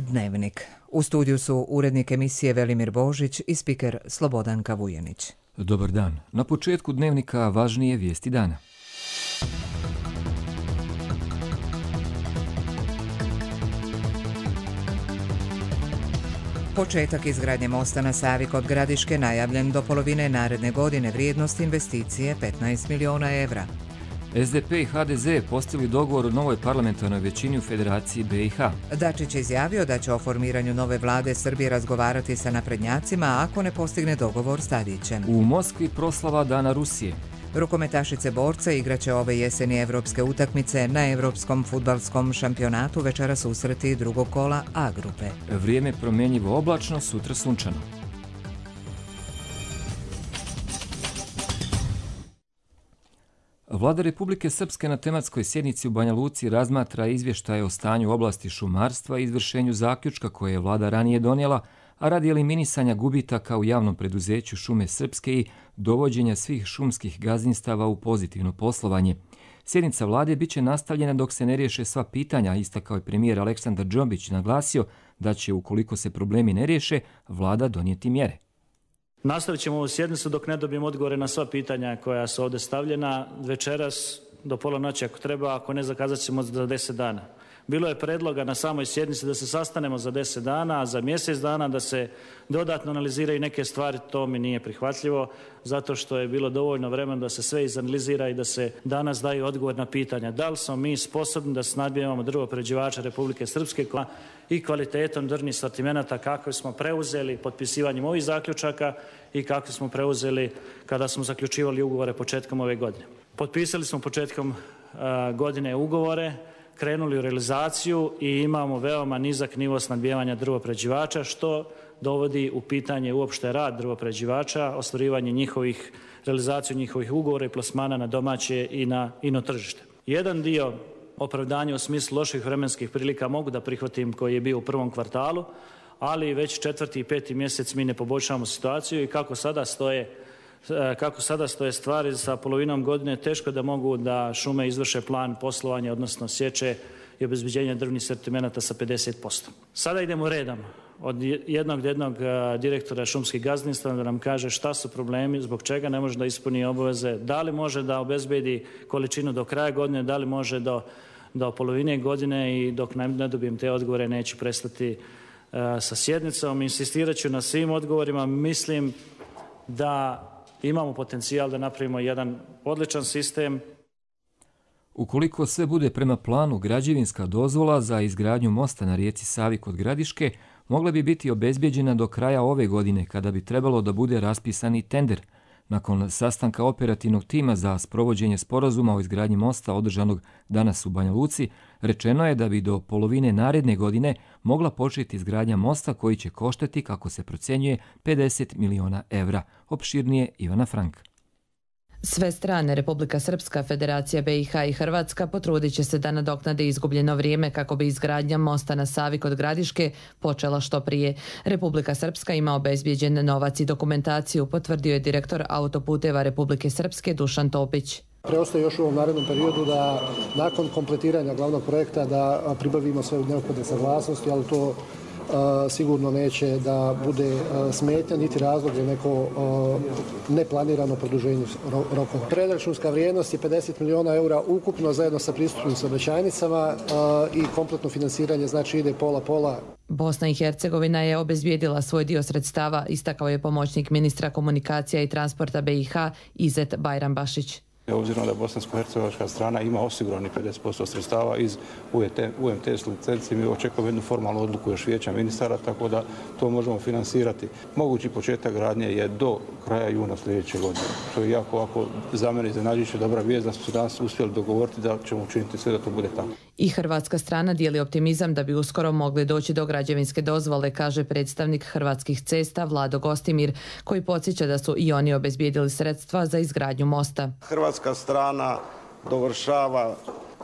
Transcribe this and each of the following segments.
Dnevnik. U studiju su urednik emisije Velimir Božić i spiker Slobodanka Vujenić. Dobar dan. Na početku Dnevnika važnije vijesti dana. Početak izgradnje mosta na Savi kod Gradiške najavljen do polovine naredne godine, vrijednost investicije 15 miliona evra. SDP i HDZ postigli dogovor o novoj parlamentarnoj većini u Federaciji BiH. Dačić je izjavio da će o formiranju nove vlade Srbije razgovarati sa naprednjacima ako ne postigne dogovor s Tadićem. U Moskvi proslava Dana Rusije. Rukometašice borce igraće ove jeseni evropske utakmice na Evropskom fudbalskom šampionatu, večera susreti drugog kola A grupe. Vrijeme promjenjivo oblačno, sutra sunčano. Vlada Republike Srpske na tematskoj sjednici u Banja Luci razmatra izvještaje o stanju u oblasti šumarstva i izvršenju zaključka koje je vlada ranije donijela, a radi eliminisanja gubitaka u javnom preduzeću Šume Srpske i dovođenja svih šumskih gazdinstava u pozitivno poslovanje. Sjednica vlade biće nastavljena dok se ne riješe sva pitanja, istakao je premijer Aleksandar Džombić, naglasio da će, ukoliko se problemi ne riješe, vlada donijeti mjere. Nastavit ćemo ovu sjednicu dok ne dobijemo odgovore na sva pitanja koja su ovdje stavljena. Večeras do pola noći ako treba, ako ne zakazat ćemo za 10 dana. Bilo je predloga na samoj sjednici da se sastanemo za 10 dana, a za mjesec dana da se dodatno analiziraju neke stvari. To mi nije prihvatljivo, zato što je bilo dovoljno vremena da se sve izanalizira i da se danas daju odgovor na pitanja. Da li smo mi sposobni da snabdijevamo drvoprerađivača Republike Srpske i kvalitetom drvnih sortimenata kako smo preuzeli potpisivanjem ovih zaključaka i kako smo preuzeli kada smo zaključivali ugovore početkom ove godine. Potpisali smo početkom godine ugovore, krenuli u realizaciju i imamo veoma nizak nivo snabdijevanja drvoprerađivača, što dovodi u pitanje uopšte rad drvoprerađivača, ostvarivanje realizaciju njihovih ugovora i plasmana na domaće i na ino tržište. Jedan dio opravdanja u smislu loših vremenskih prilika mogu da prihvatim koji je bio u prvom kvartalu, ali već 4. i 5. mjesec mi ne poboljšavamo situaciju i kako sada stoje stvari sa polovinom godine, teško da mogu da šume izvrše plan poslovanja, odnosno sječe i obezbeđenja drvnih sortimenata sa 50%. Sada idemo redom od jednog direktora šumskih gazdinstva da nam kaže šta su problemi, zbog čega ne može da ispuni obaveze, da li može da obezbedi količinu do kraja godine, da li može do polovine godine, i dok ne dobijem te odgovore neću prestati sa sjednicom. Insistirat ću na svim odgovorima. Mislim da imamo potencijal da napravimo jedan odličan sistem. Ukoliko sve bude prema planu, građevinska dozvola za izgradnju mosta na rijeci Savi kod Gradiške mogla bi biti obezbijeđena do kraja ove godine, kada bi trebalo da bude raspisani tender. Nakon sastanka operativnog tima za sprovođenje sporazuma o izgradnji mosta održanog danas u Banja Luci, rečeno je da bi do polovine naredne godine mogla početi izgradnja mosta koji će koštati, kako se procjenjuje, 50 miliona evra. Opširnije Ivana Frank. Sve strane, Republika Srpska, Federacija BiH i Hrvatska, potrudit će se da nadoknade izgubljeno vrijeme kako bi izgradnja mosta na Savi kod Gradiške počela što prije. Republika Srpska ima obezbijeđen novac i dokumentaciju, potvrdio je direktor Autoputeva Republike Srpske Dušan Topić. Preostaje još u ovom narednom periodu da nakon kompletiranja glavnog projekta da pribavimo sve neophodne saglasnosti, ali to sigurno neće da bude smetnja niti razlog za neko neplanirano produženje rokova. Predračunska vrijednost je 50 miliona eura ukupno zajedno sa pristupnim saobraćajnicama i kompletno finansiranje znači ide pola-pola. Bosna i Hercegovina je obezbijedila svoj dio sredstava, istakao je pomoćnik ministra komunikacija i transporta BiH Izet Bajrambašić. Obzirom da bosansko-hercegovačka strana ima osigurani 50% sredstava iz UMTS licenci, mi očekujemo jednu formalnu odluku još vijeća ministara, tako da to možemo finansirati. Mogući početak gradnje je do kraja juna sljedeće godine. To je jako ovako za mene iznenađujuća dobra vijest da smo se danas uspjeli dogovoriti da ćemo učiniti sve da to bude tako. I hrvatska strana dijeli optimizam da bi uskoro mogli doći do građevinske dozvole, kaže predstavnik Hrvatskih cesta Vlado Gostimir, koji podsjeća da su i oni obezbijedili sredstva za izgradnju mosta. Hrvatska strana dovršava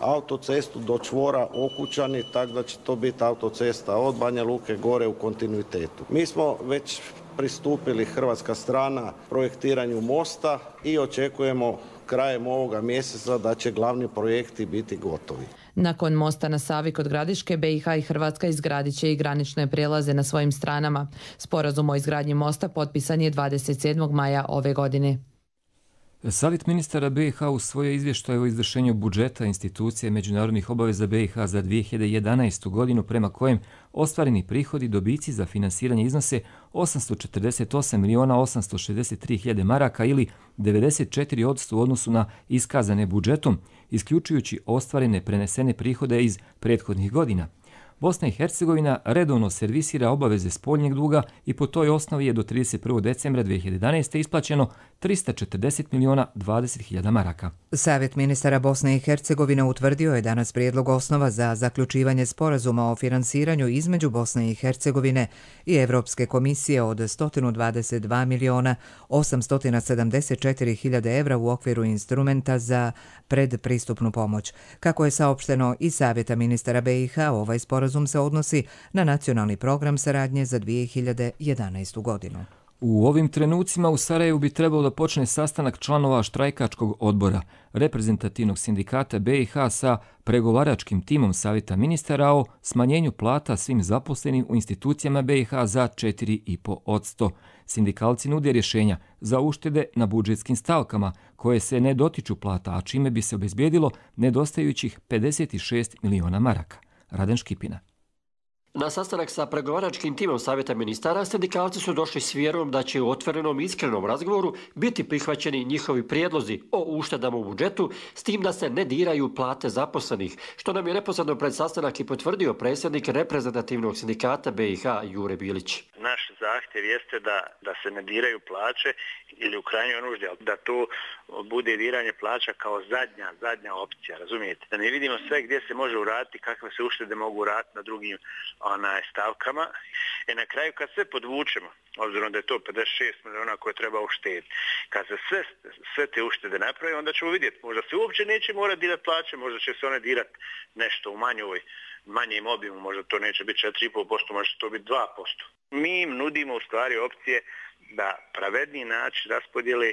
autocestu do čvora Okučani, tako da će to biti autocesta od Banja Luke gore u kontinuitetu. Mi smo već pristupili, hrvatska strana, projektiranju mosta i očekujemo krajem ovoga mjeseca da će glavni projekti biti gotovi. Nakon mosta na Savi kod Gradiške, BiH i Hrvatska izgradit će i granične prijelaze na svojim stranama. Sporazum o izgradnji mosta potpisan je 27. maja ove godine. Savjet ministara BiH usvojio izvještaj o izvršenju budžeta institucije međunarodnih obaveza BiH za 2011. godinu prema kojem ostvareni prihodi dobici za finansiranje iznose 848.863.000 maraka ili 94% u odnosu na iskazane budžetom, isključujući ostvarene prenesene prihode iz prethodnih godina. Bosna i Hercegovina redovno servisira obaveze spoljnjeg duga i po toj osnovi je do 31. decembra 2011. isplaćeno 340.020.000 maraka. Savjet ministara Bosne i Hercegovine utvrdio je danas prijedlog osnova za zaključivanje sporazuma o finansiranju između Bosne i Hercegovine i Evropske komisije od 122.874.000 evra u okviru instrumenta za predpristupnu pomoć. Kako je saopšteno iz Savjeta ministara BiH, ovaj sporazum se odnosi na nacionalni program saradnje za 2011. godinu. U ovim trenucima u Sarajevu bi trebalo da počne sastanak članova štrajkačkog odbora reprezentativnog sindikata BiH sa pregovaračkim timom Savjeta ministara o smanjenju plata svim zaposlenim u institucijama BiH za 4,5%. Sindikalci nude rješenja za uštede na budžetskim stavkama koje se ne dotiču plata, a čime bi se obezbijedilo nedostajućih 56 miliona maraka. Raden Škipina. Na sastanak sa pregovaračkim timom Savjeta ministara, sindikalci su došli s vjerom da će u otvorenom i iskrenom razgovoru biti prihvaćeni njihovi prijedlozi o uštedama u budžetu, s tim da se ne diraju plate zaposlenih, što nam je neposredno pred sastanak i potvrdio predsjednik reprezentativnog sindikata BiH Jure Bilić. Naš zahtjev jeste da se ne diraju plaće ili u krajnjoj nuždi, da to bude diranje plaća kao zadnja opcija, razumijete? Da ne vidimo sve gdje se može uraditi, kakve se uštede mogu uraditi na drugim stavkama. Na kraju kad sve podvučemo, obzirom da je to 56 miliona koje treba uštediti, kad se sve te uštede napravi, onda ćemo vidjeti, možda se uopće neće morati dirati plaće, možda će se one dirati nešto u manjem obimu, možda to neće biti 4,5%, možda će to biti 2%. Mi im nudimo u stvari opcije da pravedniji način raspodijele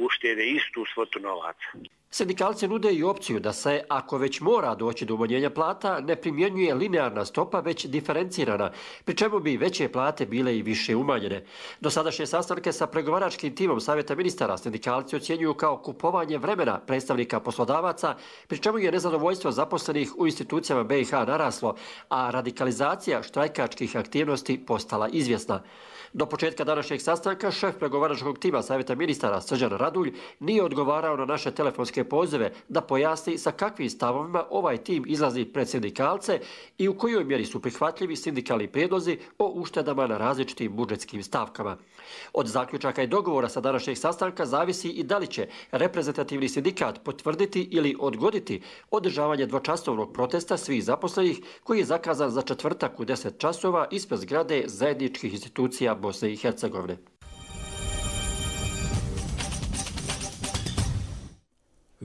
uštede istu svotu novaca. Sindikalci nude i opciju da se, ako već mora doći do umanjenja plata, ne primjenjuje linearna stopa, već diferencirana, pri čemu bi veće plate bile i više umanjene. Dosadašnje sastanke sa pregovaračkim timom Savjeta ministara sindikalci ocjenjuju kao kupovanje vremena predstavnika poslodavaca, pri čemu je nezadovoljstvo zaposlenih u institucijama BiH naraslo, a radikalizacija štrajkačkih aktivnosti postala izvjesna. Do početka današnjeg sastanka šef pregovaračkog tima Savjeta ministara Srđan Radulj nije odgovarao na naše telefonske pozive da pojasni sa kakvim stavovima ovaj tim izlazi pred sindikalce i u kojoj mjeri su prihvatljivi sindikalni prijedlozi o uštedama na različitim budžetskim stavkama. Od zaključaka i dogovora sa današnjeg sastanka zavisi i da li će reprezentativni sindikat potvrditi ili odgoditi održavanje dvočasovnog protesta svih zaposlenih koji je zakazan za četvrtak u 10 časova ispred zgrade zajedničkih institucija Bosne i Hercegovine.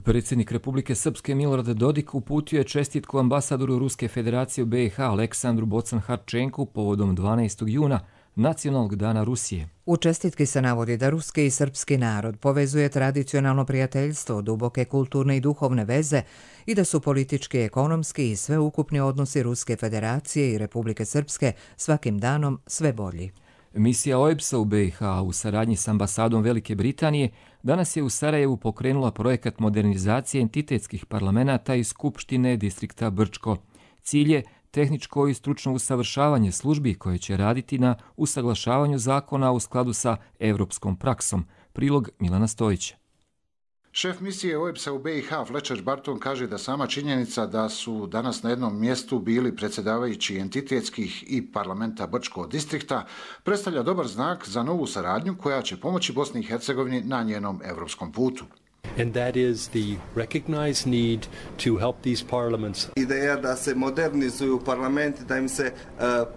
Predsjednik Republike Srpske Milorad Dodik uputio je čestitku ambasadoru Ruske federacije u BiH Aleksandru Bocan-Harčenku povodom 12. juna, Nacionalnog dana Rusije. U čestitki se navodi da ruski i srpski narod povezuje tradicionalno prijateljstvo, duboke kulturne i duhovne veze i da su politički, ekonomski i sveukupni odnosi Ruske federacije i Republike Srpske svakim danom sve bolji. Misija OEBS-a u BiH u saradnji s ambasadom Velike Britanije danas je u Sarajevu pokrenula projekat modernizacije entitetskih parlamenata i Skupštine distrikta Brčko. Cilj je tehničko i stručno usavršavanje službi koje će raditi na usaglašavanju zakona u skladu sa evropskom praksom. Prilog Milana Stojića. Šef misije OEBS-a u BiH Fletcher Barton kaže da sama činjenica da su danas na jednom mjestu bili predsjedavajući entitetskih i parlamenta Brčkog distrikta predstavlja dobar znak za novu saradnju koja će pomoći Bosni i Hercegovini na njenom evropskom putu. And that is the recognized need to help these parliaments. Ideja da se modernizuju parlamenti, da im se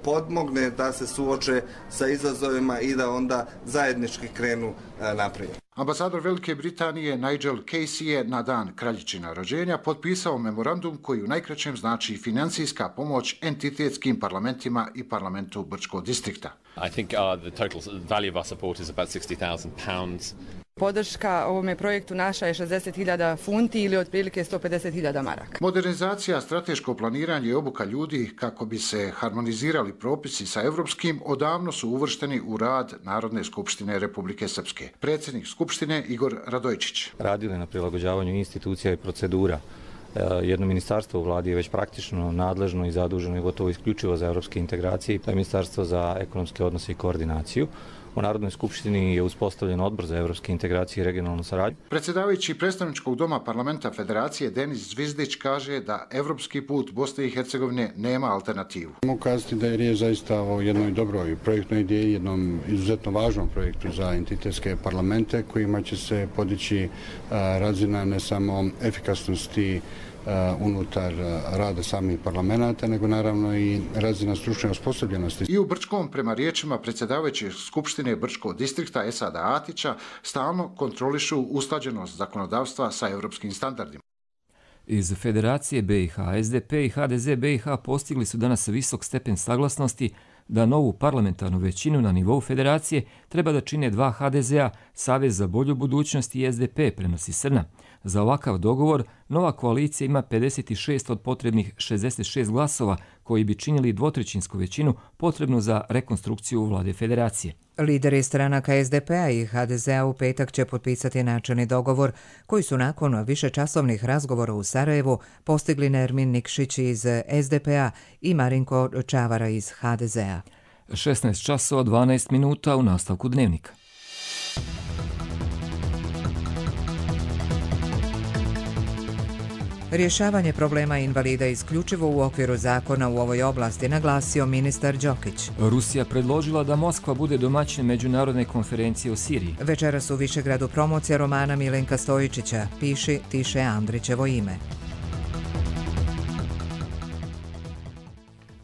podmogne da se suoče sa izazovima i da onda zajednički krenu naprijed. Ambasador Velike Britanije Nigel Casey je na dan kraljičina rođenja potpisao memorandum koji u najkraćem znači financijska pomoć entitetskim parlamentima i parlamentu Brčkog distrikta. I think the total value of our support is about £60,000. Podrška ovome projektu naša je 60.000 funti ili otprilike 150.000 maraka. Modernizacija, strateško planiranje i obuka ljudi kako bi se harmonizirali propisi sa evropskim odavno su uvršteni u rad Narodne skupštine Republike Srpske. Predsjednik skupštine Igor Radojčić. Radili na prilagođavanju institucija i procedura. Jedno ministarstvo u vladi je već praktično nadležno i zaduženo i gotovo isključivo za evropske integracije, to je Ministarstvo za ekonomske odnose i koordinaciju. U Narodnoj skupštini je uspostavljen odbor za evropske integracije i regionalnu saradnju. Predsjedavajući predstavničkog doma parlamenta Federacije Denis Zvizdić kaže da evropski put Bosne i Hercegovine nema alternativu. Mogu kazati da je riječ zaista o jednoj dobroj projektnoj ideji, jednom izuzetno važnom projektu za entitetske parlamente kojima će se podići razina ne samo efikasnosti unutar rada samih parlamenta, nego naravno i razina stručne osposobljenosti. I u Brčkom, prema riječima predsjedavajućeg Skupštine Brčkog distrikta Esada Atića, stalno kontrolišu usklađenost zakonodavstva sa evropskim standardima. Iz Federacije BiH, SDP i HDZ BiH postigli su danas visok stepen saglasnosti da novu parlamentarnu većinu na nivou federacije treba da čine dva HDZ-a, Savez za bolju budućnost i SDP, prenosi Srna. Za ovakav dogovor nova koalicija ima 56 od potrebnih 66 glasova koji bi činili dvotrećinsku većinu potrebnu za rekonstrukciju vlade federacije. Lideri stranaka SDP-a i HDZ-a u petak će potpisati načelni dogovor koji su nakon višečasovnih razgovora u Sarajevu postigli Nermin Nikšić iz SDP-a i Marinko Čavara iz HDZ-a. 16 časova 12 minuta u nastavku dnevnika. Rješavanje problema invalida isključivo u okviru zakona u ovoj oblasti, naglasio ministar Đokić. Rusija predložila da Moskva bude domaćin međunarodne konferencije o Siriji. Večeras u Višegradu promocija romana Milenka Stojičića, Piši, Tiše Andrićevo ime.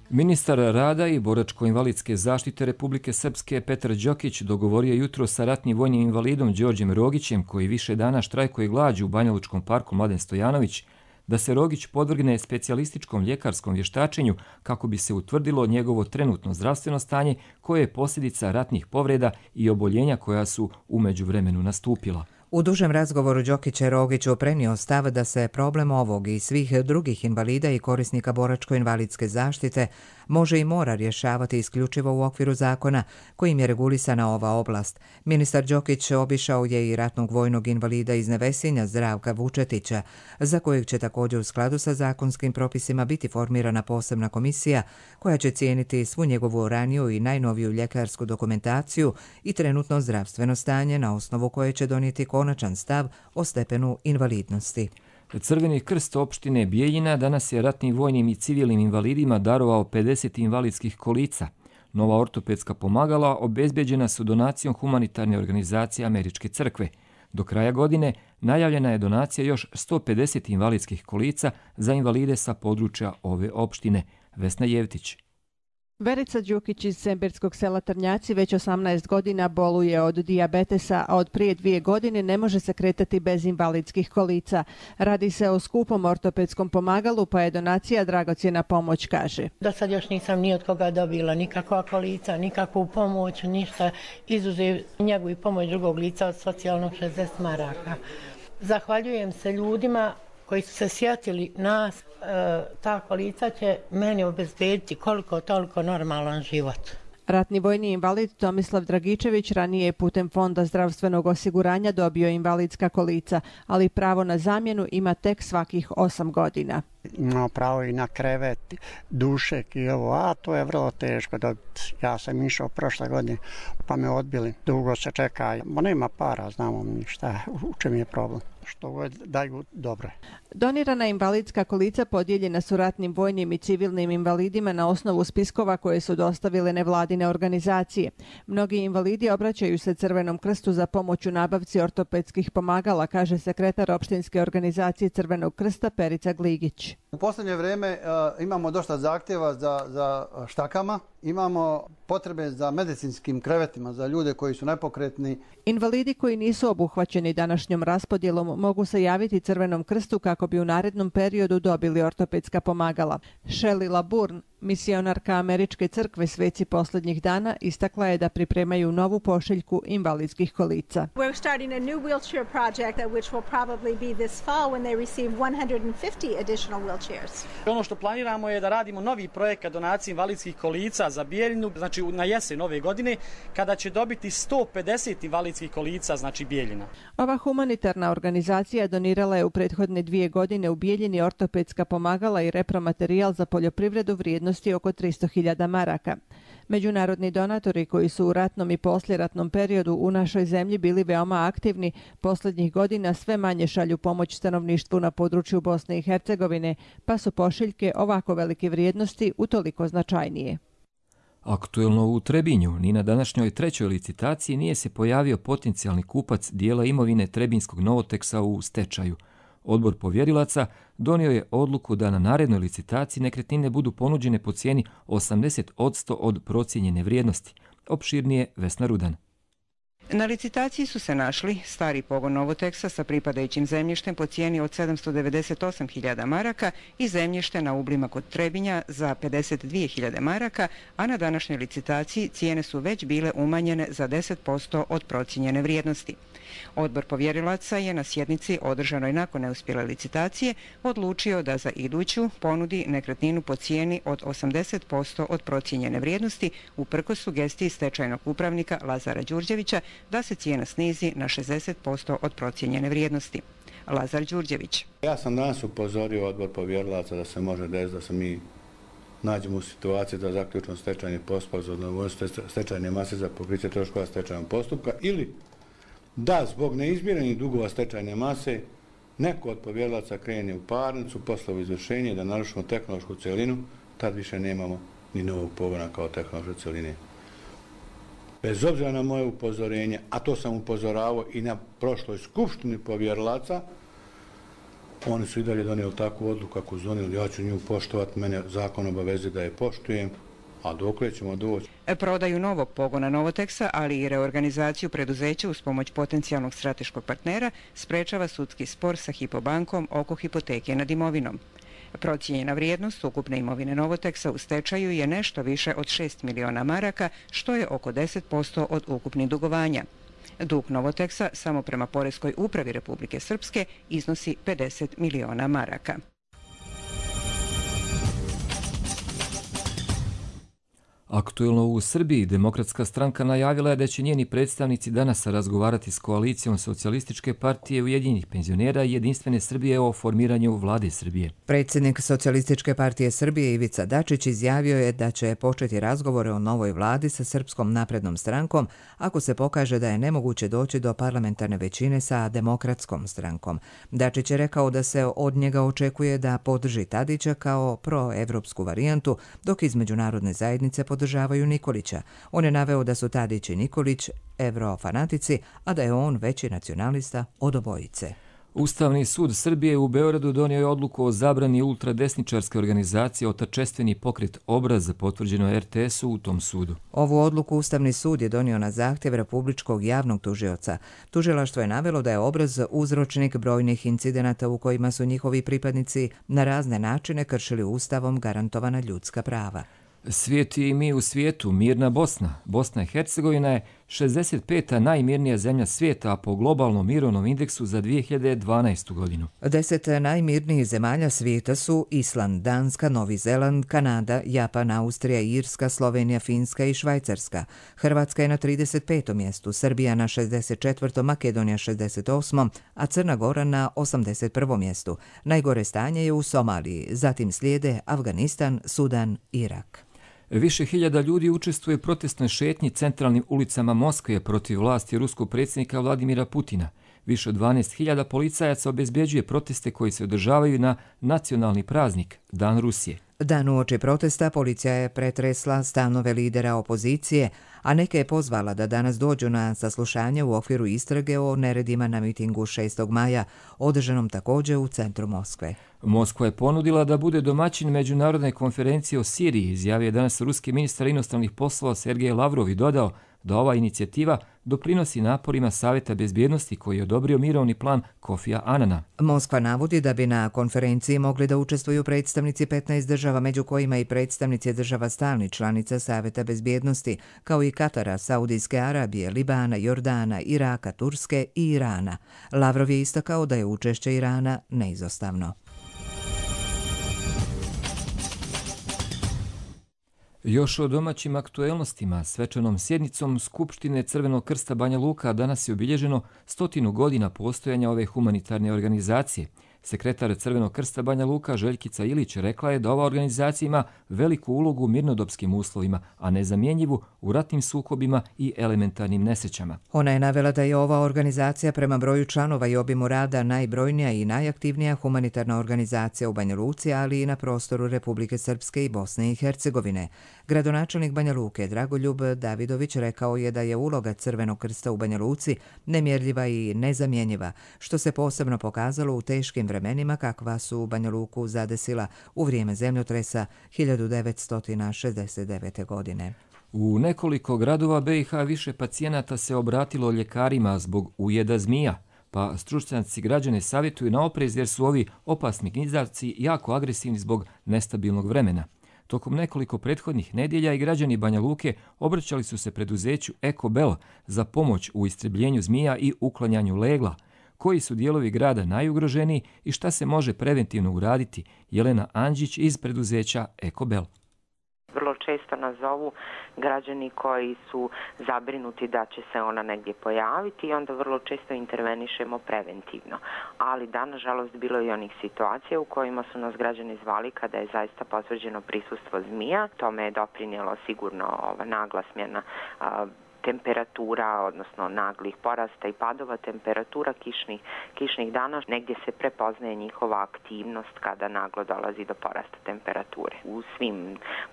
Ministar rada i boračko-invalidske zaštite Republike Srpske Petar Đokić dogovorio jutro sa ratnim vojnim invalidom Đorđem Rogićem, koji više dana štrajkuje glađu u Banjalučkom parku Mladen Stojanović, da se Rogić podvrgne specijalističkom ljekarskom vještačenju kako bi se utvrdilo njegovo trenutno zdravstveno stanje koje je posljedica ratnih povreda i oboljenja koja su u međuvremenu nastupila. U dužem razgovoru Đokić je Rogiću prenio stav da se problem ovog i svih drugih invalida i korisnika boračko-invalidske zaštite može i mora rješavati isključivo u okviru zakona kojim je regulisana ova oblast. Ministar Đokić obišao je i ratnog vojnog invalida iz Nevesinja Zdravka Vučetića, za kojeg će također u skladu sa zakonskim propisima biti formirana posebna komisija koja će cijeniti svu njegovu raniju i najnoviju ljekarsku dokumentaciju i trenutno zdravstveno stanje na osnovu koje će donijeti konačan stav o stepenu invalidnosti. Crveni krst opštine Bijeljina danas je ratnim vojnim i civilnim invalidima darovao 50 invalidskih kolica. Nova ortopedska pomagala obezbeđena su donacijom humanitarne organizacije Američke crkve. Do kraja godine najavljena je donacija još 150 invalidskih kolica za invalide sa područja ove opštine. Vesna Jevtić. Verica Đukić iz Semberskog sela Trnjaci već 18 godina boluje od dijabetesa, a od prije 2 godine ne može se kretati bez invalidskih kolica. Radi se o skupom ortopedskom pomagalu, pa je donacija dragocjena pomoć, kaže. Do sad još nisam ni od koga dobila nikakva kolica, nikakvu pomoć, ništa, izuzev njegu i pomoć drugog lica od socijalnog 60 maraka. Zahvaljujem se ljudima koji su se sjetili nas, ta kolica će meni obezbediti koliko toliko normalan život. Ratni vojni invalid Tomislav Dragičević ranije je putem Fonda zdravstvenog osiguranja dobio invalidska kolica, ali pravo na zamjenu ima tek svakih 8 godina. Imao pravo i na krevet, dušek i ovo, a to je vrlo teško dobiti. Ja sam išao prošle godine pa me odbili, dugo se čeka, ma nema para, znamo mi šta, u čem je problem. Što daju dobro. Donirana invalidska kolica podijeljena su ratnim vojnim i civilnim invalidima na osnovu spiskova koje su dostavile nevladine organizacije. Mnogi invalidi obraćaju se Crvenom krstu za pomoć u nabavci ortopedskih pomagala, kaže sekretar opštinske organizacije Crvenog krsta Perica Gligić. U posljednje vrijeme imamo dosta zahtjeva za štakama, imamo potrebe za medicinskim krevetima za ljude koji su nepokretni. Invalidi koji nisu obuhvaćeni današnjom raspodjelom mogu se javiti Crvenom krstu kako bi u narednom periodu dobili ortopedska pomagala. Shelley Laburn Misionarka Američke crkve Sveci posljednjih dana istakla je da pripremaju novu pošiljku invalidskih kolica. We're starting a new wheelchair project which will probably be this fall when they receive 150 additional wheelchairs. Ono što planiramo je da radimo novi projekat donacije invalidskih kolica za Bijeljinu, znači na jesen ove godine, kada će dobiti 150 invalidskih kolica, znači Bijeljina. Ova humanitarna organizacija donirala je u prethodne 2 godine u Bijeljini ortopedska pomagala i repromaterijal za poljoprivredu vrijednosti oko 300.000 maraka. Međunarodni donatori koji su u ratnom i poslijeratnom periodu u našoj zemlji bili veoma aktivni, posljednjih godina sve manje šalju pomoć stanovništvu na području Bosne i Hercegovine, pa su pošiljke ovako velike vrijednosti utoliko značajnije. Aktuelno u Trebinju, ni na današnjoj 3. licitaciji nije se pojavio potencijalni kupac dijela imovine Trebinskog Novoteksa u stečaju. Odbor povjerilaca donio je odluku da na narednoj licitaciji nekretnine budu ponuđene po cijeni 80% od procijenjene vrijednosti. Opširnije Vesna Rudan. Na licitaciji su se našli stari pogon Novoteksa sa pripadajućim zemljištem po cijeni od 798.000 maraka i zemljište na Ublima kod Trebinja za 52.000 maraka, a na današnjoj licitaciji cijene su već bile umanjene za 10% od procijenjene vrijednosti. Odbor povjerilaca je na sjednici održanoj nakon neuspjele licitacije odlučio da za iduću ponudi nekretninu po cijeni od 80% od procijenjene vrijednosti uprkos sugestiji stečajnog upravnika Lazara Đurđevića da se cijena snizi na 60% od procijenjene vrijednosti. Lazar Đurđević. Ja sam danas upozorio odbor povjerilaca da se može desiti da se mi nađemo u situaciji da zaključimo stečajni postupak za odnovođenje stečajne mase za pokriće troškova stečajnog postupka ili da zbog neizmirenih dugova stečajne mase neko od povjerilaca krene u parnicu, poslovo izvršenje da narušimo tehnološku celinu, tad više nemamo ni novog pogona kao tehnološke celine. Bez obzira na moje upozorenje, a to sam upozoravao i na prošloj skupštini povjerilaca, oni su i dalje donijeli takvu odluku kako su donijeli, ja ću nju poštovati, mene zakon obavezuje da je poštujem, a dokle ćemo doći. Prodaju novog pogona Novoteksa, ali i reorganizaciju preduzeća uz pomoć potencijalnog strateškog partnera sprečava sudski spor sa Hypo oko hipoteke nad imovinom. Procijenjena vrijednost ukupne imovine Novoteksa u stečaju je nešto više od 6 miliona maraka, što je oko 10% od ukupnih dugovanja. Dug Novoteksa samo prema Poreskoj upravi Republike Srpske iznosi 50 miliona maraka. Aktuelno u Srbiji, Demokratska stranka najavila je da će njeni predstavnici danas razgovarati s koalicijom Socijalističke partije Ujedinjenih penzionera i Jedinstvene Srbije o formiranju vlade Srbije. Predsjednik Socijalističke partije Srbije Ivica Dačić izjavio je da će početi razgovore o novoj vladi sa Srpskom naprednom strankom ako se pokaže da je nemoguće doći do parlamentarne većine sa Demokratskom strankom. Dačić je rekao da se od njega očekuje da podrži Tadića kao proevropsku varijantu, dok iz međunarodne zajednice podržavaju Nikolića. On je naveo da su Tadić i Nikolić evrofanatici, a da je on veći nacionalista od obojice. Ustavni sud Srbije u Beogradu donio je odluku o zabrani ultradesničarske organizacije Otačestveni pokret Obraz, potvrđeno RTS-u u tom sudu. Ovu odluku Ustavni sud je donio na zahtjev Republičkog javnog tužioca. Tužilaštvo je navelo da je Obraz uzročnik brojnih incidenata u kojima su njihovi pripadnici na razne načine kršili Ustavom garantovana ljudska prava. Svijet i mi u svijetu, mirna Bosna. Bosna i Hercegovina je 65. najmirnija zemlja svijeta, a po globalnom mirovnom indeksu za 2012. godinu. 10 najmirnijih zemalja svijeta su Island, Danska, Novi Zeland, Kanada, Japan, Austrija, Irska, Slovenija, Finska i Švajcarska. Hrvatska je na 35. mjestu, Srbija na 64., Makedonija 68., a Crna Gora na 81. mjestu. Najgore stanje je u Somaliji, zatim slijede Afganistan, Sudan, Irak. Više hiljada ljudi učestvuje u protestnoj šetnji centralnim ulicama Moskve protiv vlasti ruskog predsjednika Vladimira Putina. Više od 12.000 policajaca obezbeđuje proteste koji se održavaju na nacionalni praznik, Dan Rusije. Dan uoči protesta policija je pretresla stanove lidera opozicije, a neke je pozvala da danas dođu na saslušanje u okviru istrage o neredima na mitingu 6. maja, održanom također u centru Moskve. Moskva je ponudila da bude domaćin međunarodne konferencije o Siriji, izjavio je danas ruski ministar inostranih poslova Sergej Lavrov i dodao da ova inicijativa doprinosi naporima Saveta bezbjednosti koji je odobrio mirovni plan Kofija Anana. Moskva navodi da bi na konferenciji mogli da učestvuju predstavnici 15 država, među kojima i predstavnici država stalnih članica Saveta bezbjednosti, kao i Katara, Saudijske Arabije, Libana, Jordana, Iraka, Turske i Irana. Lavrov je istakao da je učešće Irana neizostavno. Još o domaćim aktuelnostima, svečanom sjednicom Skupštine Crvenog krsta Banja Luka danas je obilježeno 100 godina postojanja ove humanitarne organizacije. Sekretar Crvenog krsta Banja Luka Željkica Ilić rekla je da ova organizacija ima veliku ulogu u mirnodopskim uslovima, a nezamjenjivu u ratnim sukobima i elementarnim nesrećama. Ona je navela da je ova organizacija prema broju članova i obimu rada najbrojnija i najaktivnija humanitarna organizacija u Banja Luci, ali i na prostoru Republike Srpske i Bosne i Hercegovine. Gradonačelnik Banja Luke Dragoljub Davidović rekao je da je uloga Crvenog krsta u Banja Luci nemjerljiva i nezamjenjiva, što se posebno pokazalo u teškim vremenima kakva su Banja Luku zadesila u vrijeme zemljotresa 1969. godine. U nekoliko gradova BiH više pacijenata se obratilo ljekarima zbog ujeda zmija, pa stručnjaci građane savjetuju na oprez jer su ovi opasni gnjizavci jako agresivni zbog nestabilnog vremena. Tokom nekoliko prethodnih nedjelja i građani Banja Luke obraćali su se preduzeću Ekobel za pomoć u istrebljenju zmija i uklanjanju legla. Koji su dijelovi grada najugroženiji i šta se može preventivno uraditi? Jelena Anđić iz preduzeća Ekobel. Vrlo često nas zovu građani koji su zabrinuti da će se ona negdje pojaviti i onda vrlo često intervenišemo preventivno. Ali da, nažalost, bilo je i onih situacija u kojima su nas građani zvali kada je zaista potvrđeno prisustvo zmija. Tome je doprinijelo sigurno nagla smjena temperatura, odnosno naglih porasta i padova temperatura kišnih dana. Negdje se prepoznaje njihova aktivnost kada naglo dolazi do porasta temperature. U svim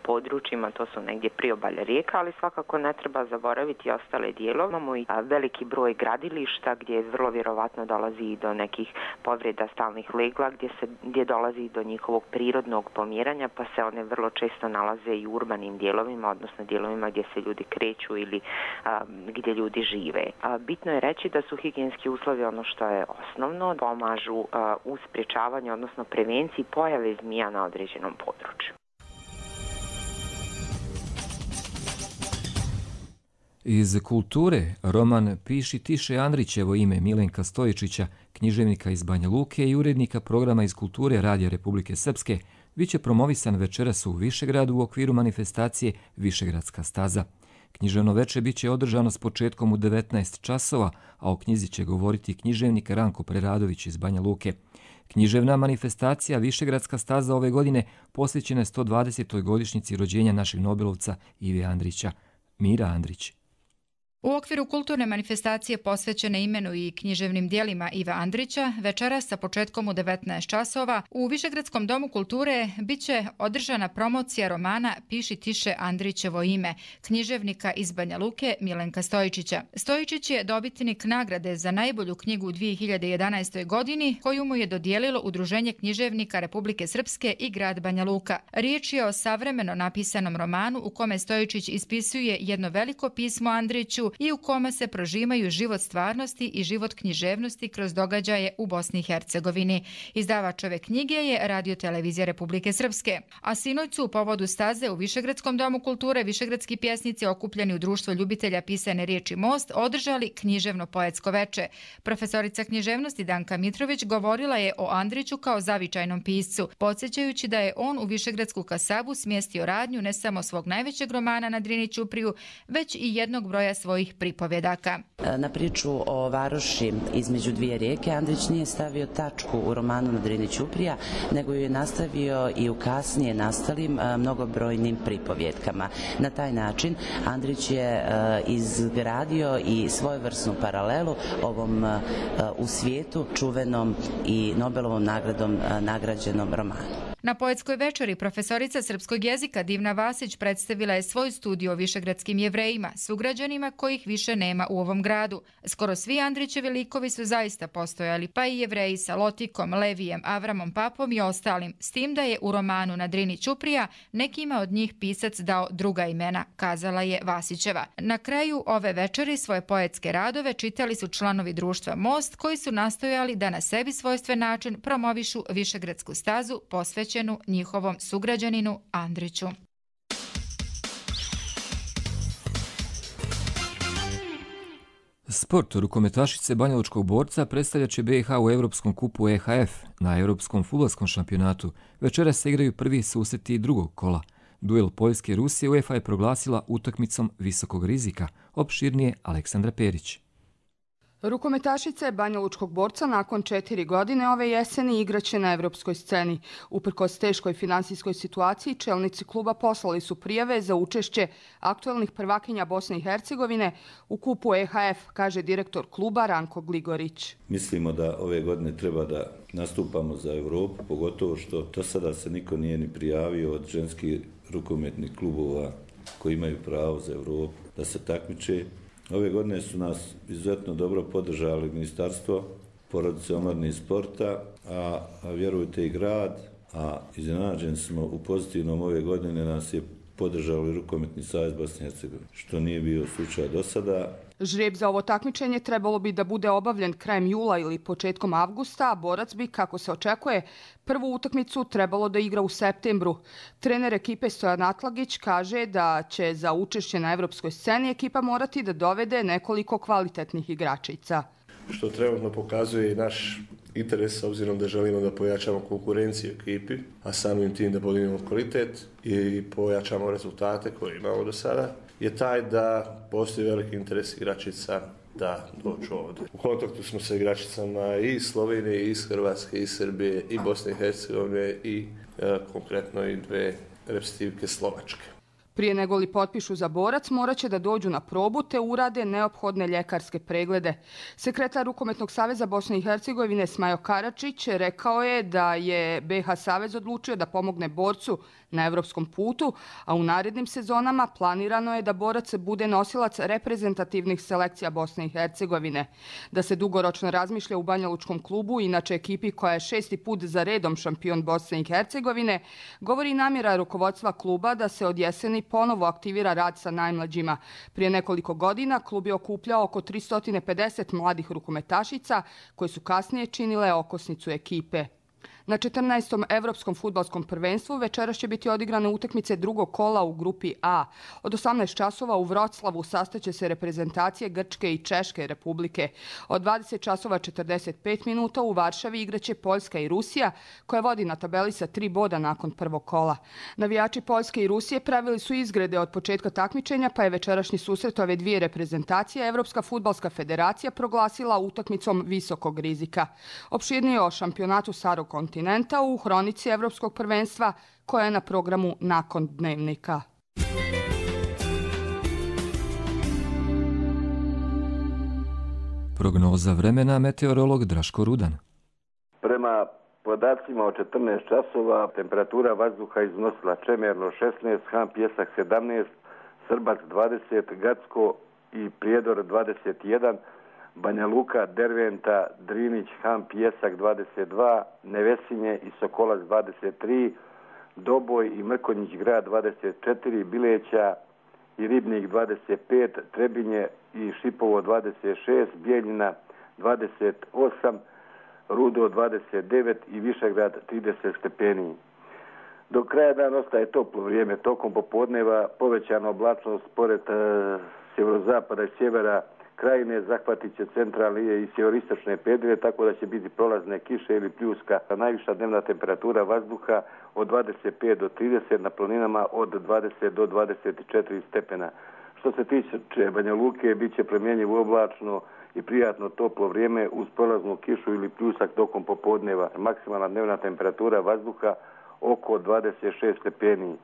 područjima, to su negdje priobalje rijeka, ali svakako ne treba zaboraviti ostale dijelove. Imamo i veliki broj gradilišta gdje vrlo vjerovatno dolazi i do nekih povreda stalnih legla, gdje dolazi do njihovog prirodnog pomiranja, pa se one vrlo često nalaze i u urbanim dijelovima, odnosno dijelovima gdje se ljudi kreću ili gdje ljudi žive. Bitno je reći da su higijenski uslovi ono što je osnovno, pomažu u sprječavanju, odnosno prevenciji pojave zmija na određenom području. Iz kulture roman Piši tiše Andrićevo ime Milenka Stojičića, književnika iz Banja Luke i urednika programa iz kulture Radija Republike Srpske, biće promovisan večeras u Višegradu u okviru manifestacije Višegradska staza. Književno veče biće održano s početkom u 19 časova, a o knjizi će govoriti književnik Ranko Preradović iz Banja Luke. Književna manifestacija Višegradska staza ove godine posvećena je 120. godišnjici rođenja našeg Nobelovca Ive Andrića. Mira Andrić. U okviru kulturne manifestacije posvećene imenu i književnim dijelima Iva Andrića, večeras sa početkom u 19 časova u Višegradskom domu kulture biće održana promocija romana Piši tiše Andrićevo ime, književnika iz Banja Luke Milenka Stojičića. Stojičić je dobitnik nagrade za najbolju knjigu u 2011. godini koju mu je dodijelilo Udruženje književnika Republike Srpske i grad Banja Luka. Riječ je o savremeno napisanom romanu u kome Stojičić ispisuje jedno veliko pismo Andriću i u kome se prožimaju život stvarnosti i život književnosti kroz događaje u Bosni i Hercegovini. Izdavač ove knjige je Radio televizija Republike Srpske. A sinoć su u povodu staze u Višegradskom domu kulture višegradski pjesnici okupljeni u društvo ljubitelja pisane riječi Most održali književno poetsko veče. Profesorica književnosti Danka Mitrović govorila je o Andriću kao zavičajnom piscu, podsjećajući da je on u Višegradsku kasabu smjestio radnju ne samo svog najvećeg romana na Drini ćupriju, već i jednog broja svojih pripovjedaka. Na priču o varoši između dvije rijeke Andrić nije stavio tačku u romanu na Drini ćuprija, nego ju je nastavio i u kasnije nastalim mnogobrojnim pripovjedkama. Na taj način Andrić je izgradio i svojevrsnu paralelu ovom u svijetu čuvenom i Nobelovom nagradom nagrađenom romanu. Na poetskoj večeri profesorica srpskog jezika Divna Vasić predstavila je svoj studij o višegradskim Jevrejima, sugrađanima kojih više nema u ovom gradu. Skoro svi Andrićevi likovi su zaista postojali, pa i Jevreji sa Lotikom, Levijem, Avramom Papom i ostalim, s tim da je u romanu Na Drini Ćuprija nekima od njih pisac dao druga imena, kazala je Vasićeva. Na kraju ove večeri svoje poetske radove čitali su članovi društva Most, koji su nastojali da na sebi svojstven način promovišu Višegradsku stazu posvećenu njihovom sugrađaninu Andriću. Sport rukometašice banjalučkog borca predstavljat će BiH u Evropskom kupu EHF. Na Evropskom fudbalskom šampionatu večeras se igraju prvi susreti drugog kola. Duel Poljske i Rusije UEFA je proglasila utakmicom visokog rizika. Opširnije Aleksandra Perić. Rukometašice banjalučkog borca nakon 4 godine ove jeseni igraće na evropskoj sceni. Uprkos teškoj finansijskoj situaciji, čelnici kluba poslali su prijave za učešće aktuelnih prvakinja Bosne i Hercegovine u kupu EHF, kaže direktor kluba Ranko Gligorić. Mislimo da ove godine treba da nastupamo za Evropu, pogotovo što do sada se niko nije ni prijavio od ženskih rukometnih klubova koji imaju pravo za Evropu da se takmiče. Ove godine su nas izuzetno dobro podržali Ministarstvo porodice, omladine i sporta, a vjerujte i grad, a iznenađeni smo u pozitivnom ove godine nas je podržali Rukometni savez Bosne i Hercegovine, što nije bio slučaj do sada. Žreb za ovo takmičenje trebalo bi da bude obavljen krajem jula ili početkom avgusta, a borac bi, kako se očekuje, prvu utakmicu trebalo da igra u septembru. Trener ekipe Stojan Atlagić kaže da će za učešće na evropskoj sceni ekipa morati da dovede nekoliko kvalitetnih igračica. Što trenutno pokazuje i naš interes, s obzirom da želimo da pojačamo konkurenciju ekipi, a samim tim da podignemo kvalitet i pojačamo rezultate koje imamo do sada, je taj da postoji veliki interes igračica da dođu ovdje. U kontaktu smo sa igračicama i iz Slovenije, i iz Hrvatske, i iz Srbije, i Bosne i Hercegovine i konkretno i 2 reprezentativke Slovačke. Prije nego li potpišu za borac, morat će da dođu na probu te urade neophodne ljekarske preglede. Sekretar Rukometnog saveza Bosne i Hercegovine Smajo Karačić rekao je da je BiH savez odlučio da pomogne borcu na evropskom putu, a u narednim sezonama planirano je da borac bude nosilac reprezentativnih selekcija Bosne i Hercegovine. Da se dugoročno razmišlja u banjalučkom klubu, inače ekipi koja je 6. put za redom šampion Bosne i Hercegovine, govori namjera rukovodstva kluba da se od jeseni ponovo aktivira rad sa najmlađima. Prije nekoliko godina klub je okupljao oko 350 mladih rukometašica koje su kasnije činile okosnicu ekipe. Na 14. Evropskom fudbalskom prvenstvu večeras će biti odigrane utakmice drugog kola u grupi A. Od 18 časova u Vroclavu sastaće se reprezentacije Grčke i Češke republike. Od 20 časova 45 minuta u Varšavi igraće Poljska i Rusija, koja vodi na tabeli sa 3 boda nakon prvog kola. Navijači Poljske i Rusije pravili su izgrede od početka takmičenja, pa je večerašnji susret ove dvije reprezentacije Evropska fudbalska federacija proglasila utakmicom visokog rizika. Opširnije o šampionatu Starog kontinenta u hronici Evropskog prvenstva koja je na programu nakon dnevnika. Prognoza vremena, meteorolog Draško Rudan. Prema podacima od 14 časova temperatura vazduha iznosila Čemerno 16, Han Pjesak 17, Srbac 20, Gacko i Prijedor 21, Banja Luka, Derventa, Drinić, Han Pjesak 22, Nevesinje i Sokolac 23, Doboj i Mrkonjić grad 24, Bileća i Ribnik 25, Trebinje i Šipovo 26, Bijeljina 28, Rudo 29 i Višegrad 30 stepeni. Do kraja dana ostaje toplo vrijeme, tokom popodneva povećana oblačnost pored sjeverozapada i sjevera Krajine zahvatit će centralne i sjeveristočne predjele, tako da će biti prolazne kiše ili pljuska. Najviša dnevna temperatura vazduha od 25 do 30, na planinama od 20 do 24 stepena. Što se tiče Banja Luke, bit će promjenjivo oblačno i prijatno toplo vrijeme uz prolaznu kišu ili pljusak tokom popodneva. Maksimalna dnevna temperatura vazduha oko 26 stepeni.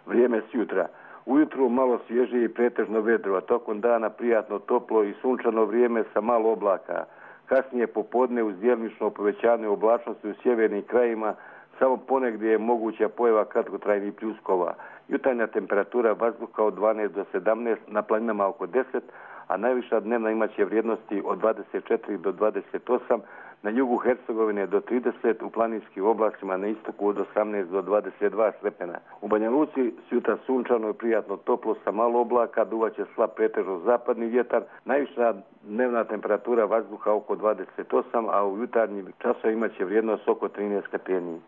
Vrijeme s jutra. Ujutru malo svježije i pretežno vedro, a tokom dana prijatno toplo i sunčano vrijeme sa malo oblaka. Kasnije popodne uz djelomično povećanje oblačnosti u sjevernim krajima Samo ponegdje je moguća pojava kratkotrajnih pljuskova. Jutarnja temperatura vazduha od 12 do 17, na planinama oko 10, a najviša dnevna imaće vrijednosti od 24 do 28, na jugu Hercegovine do 30, u planinskim oblastima na istoku od 18 do 22 stepena. U Banja Luci sutra sunčano i prijatno toplo sa malo oblaka, duvaće slab pretežno zapadni vjetar, najviša dnevna temperatura vazduha oko 28, a u jutarnjim časovima imaće vrijednost oko 13 stepeni.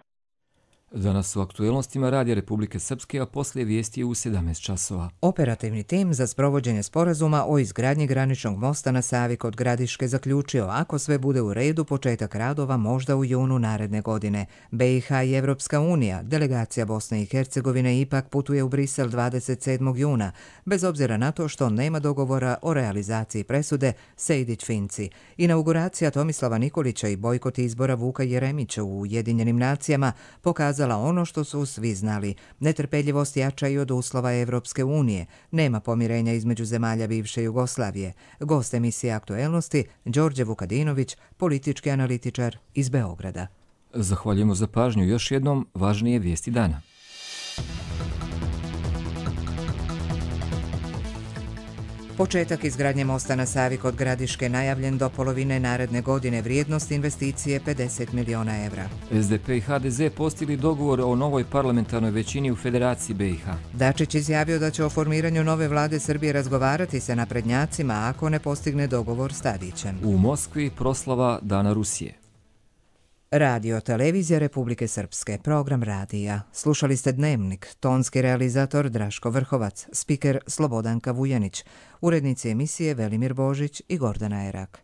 Danas u aktuelnostima Radija Republike Srpske, a poslije vijesti je u 17 časova. Operativni tim za sprovođenje sporazuma o izgradnji graničnog mosta na Savi kod Gradiške zaključio, ako sve bude u redu, početak radova možda u junu naredne godine. BiH i Evropska unija, delegacija Bosne i Hercegovine ipak putuje u Brisel 27. juna, bez obzira na to što nema dogovora o realizaciji presude Sejdić-Finci. Inauguracija Tomislava Nikolića i bojkot izbora Vuka Jeremića u Ujedinjenim nacijama pokazala ono što su svi znali. Netrpeljivost jača i od uslova Evropske unije. Nema pomirenja između zemalja bivše Jugoslavije. Gost emisije Aktuelnosti, Đorđe Vukadinović, politički analitičar iz Beograda. Zahvaljujemo za pažnju. Još jednom važnije vijesti dana. Početak izgradnje mosta na Savi kod Gradiške najavljen do polovine naredne godine, vrijednost investicije 50 miliona evra. SDP i HDZ postigli dogovor o novoj parlamentarnoj većini u Federaciji BiH. Dačić izjavio da će o formiranju nove vlade Srbije razgovarati sa naprednjacima ako ne postigne dogovor s Tadićem. U Moskvi proslava Dana Rusije. Radio Televizija Republike Srpske, program radija. Slušali ste Dnevnik, tonski realizator Draško Vrhovac, spiker Slobodanka Vujanić, urednici emisije Velimir Božić i Gordana Erak.